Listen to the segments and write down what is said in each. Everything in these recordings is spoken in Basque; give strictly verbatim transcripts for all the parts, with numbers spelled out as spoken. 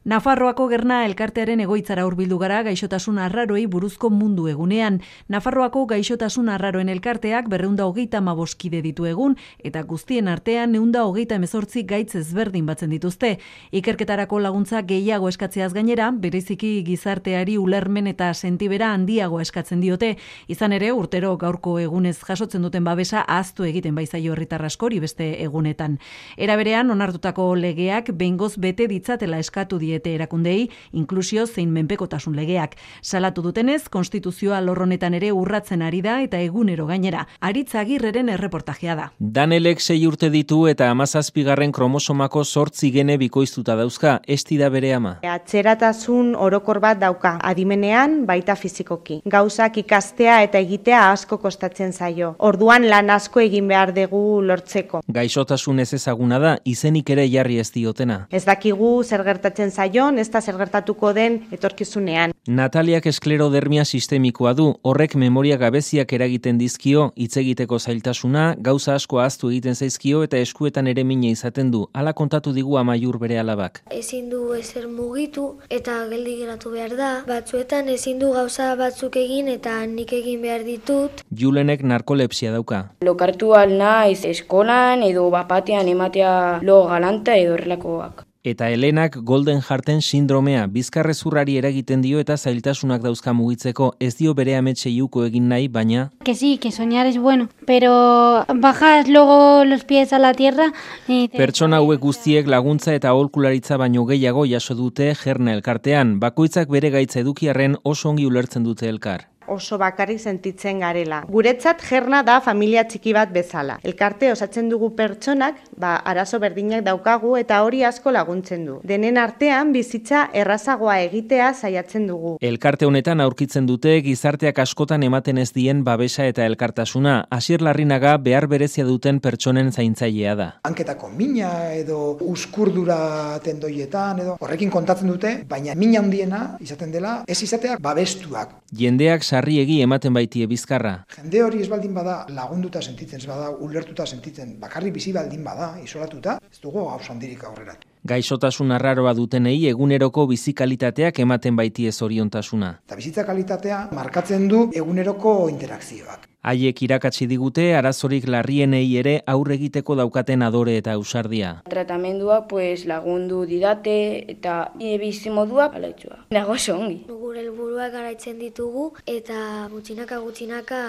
Nafarroako Gerna elkartearen egoitzara hurbildu gara gaixotasun arraroei buruzko mundu egunean. Nafarroako gaixotasun arraroen elkarteak berreunda hogeita hamabost ditu egun eta guztien artean ehunda hogeita hemezortzi gaitz ezberdin batzen dituzte. Ikerketarako laguntza gehiago eskatzeaz gainera, bereziki gizarteari ulermen eta sentibera handiago eskatzen diote. Izan ere, urtero gaurko egunez jasotzen duten babesa ahaztu egiten baizaio herritar askori beste egunetan. Era berean, onartutako legeak behingoz bete ditzatela eskatu die erakundei, inklusio zein menpekotasun legeak. Salatu dutenez, konstituzioa lorronetan ere urratzen ari da eta egunero gainera. Aritz Agirreren erreportajea da. Danelek sei urte ditu eta hamazazpigarren kromosomako zortzi gene bikoiztuta dauzka, esti da bere ama. Atzeratasun orokor bat dauka, adimenean baita fizikoki. Gauzak ikastea eta egitea asko kostatzen zaio. Orduan lan asko egin behar dugu lortzeko. Gaixotasun ez ezaguna da, izenik ere jarri ez diotena. Ez dakigu zer gertatzen zaion, ez da zer gertatuko den etorkizunean. Nataliak esklerodermia sistemikoa du, horrek memoria gabeziak eragiten dizkio, hitz egiteko zailtasuna, gauza asko ahaztu egiten zaizkio eta eskuetan ere mina izaten du. Hala kontatu digu Amaiur bere alabak. Ezin du ezer mugitu eta geldi geratu behar da. Batzuetan ezin du gauza batzuk egin eta nik egin behar ditut. Julenek narkolepsia dauka. Lokartu al naiz eskolan edo bapatean ematea lo galanta edo horrelakoak. Eta Helenak Golden Hearten sindromea, bizkarrezurrari eragiten dio eta zailtasunak dauzka mugitzeko, ez dio bere ametxe iuko egin nahi, baina... Que sí, que soñar es bueno, pero bajas luego los pies a la tierra... Y... Pertsona hauek guztiek laguntza eta aholkularitza baino gehiago jaso dute Gerna elkartean, bakoitzak bere gaitza edukiarren oso ongi ulertzen dute elkar. Oso bakarrik sentitzen garela. Guretzat Gerna da familia txiki bat bezala. Elkarte osatzen dugu pertsonak, ba, arazo berdinak daukagu eta hori asko laguntzen du. Denen artean bizitza errazagoa egitea saiatzen dugu. Elkarte honetan aurkitzen dute gizarteak askotan ematen ez dien babesa eta elkartasuna. Asier Larrinaga behar berezia duten pertsonen zaintzailea da. Hanketako mina edo uskurdura tendoietan edo horrekin kontatzen dute, baina mina handiena izaten dela ez izateak babestuak. Jendeak sarriegi ematen baitie bizkarra. Jende hori ez baldin bada lagunduta sentitzen, ez bada ulertuta sentitzen, bakarrik bizi baldin bada, isolatuta, ez dugu gauza handirik aurrera. Gaixotasun arraroa dutenei eguneroko bizikalitateak ematen baitie zoriontasuna. Eta bizitza kalitatea markatzen du eguneroko interakzioak. Haiek irakatsi digute arazorik larrienei ere aurre egiteko daukaten adore eta ausardia. Tratamenduak pues, lagundu didate eta bizimoduak alaitxua. Nago ongi. Gure helburuak garaitzen ditugu eta gutxinaka gutxinaka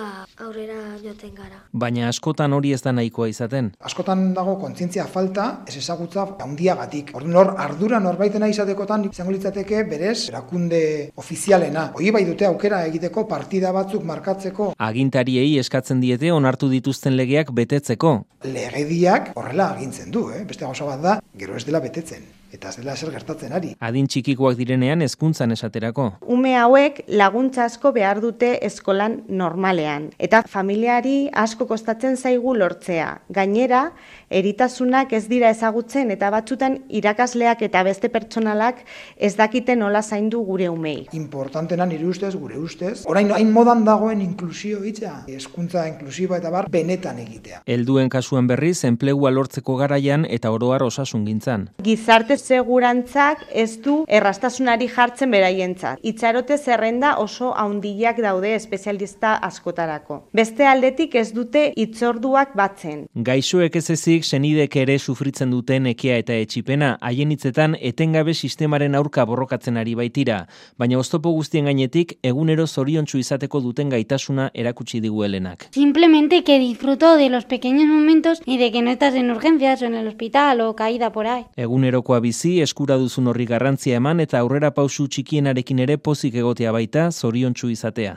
aurrera joten gara. Baina askotan hori ez da nahikoa izaten. Askotan dago kontzientzia falta, ez ezagutza handiagatik. Orduan hor ardura norbaitena izatekotan izango litzateke berez erakunde ofizialena. Hori bai dute aukera egiteko partida batzuk markatzeko. Agintariei eskatzen diete onartu dituzten legeak betetzeko. Legediak horrela agintzen du, eh? Beste gauza bat da, gero ez dela betetzen. Eta ez dela ezer gertatzen ari. Adin txikikoak direnean hezkuntzan esaterako. Ume hauek laguntza asko behar dute eskolan normalean. Eta familiari asko kostatzen zaigu lortzea. Gainera, eritasunak ez dira ezagutzen eta batzutan irakasleak eta beste pertsonalak ez dakiten nola zaindu gure umei. Importantena nire ustez, gure ustez, orain hain modan dagoen inklusio hitza, hezkuntza inklusiboa eta bar benetan egitea. Helduen kasuan berriz enplegua lortzeko garaian eta oro har osasungintzan. Gizarte segurantzak ez du errastasunari jartzen beraientzat. Itxarote zerrenda oso handiak daude espezialista askotarako. Beste aldetik ez dute hitzorduak batzen. Gaixoek ez ezik senidek ere sufritzen duten ekea eta etxipena, haien hitzetan etengabe sistemaren aurka borrokatzen ari baitira, baina oztopo guztien gainetik egunero zoriontsu izateko duten gaitasuna erakutsi digu Helenak. Simplemente que disfruto de los pequeños momentos y de que no estás en urgencias o en el hospital o caída por ahí. Egunerokoa bizi, eskura duzun horri garrantzia eman eta aurrera pausu txikienarekin ere pozik egotea baita, zoriontsu izatea.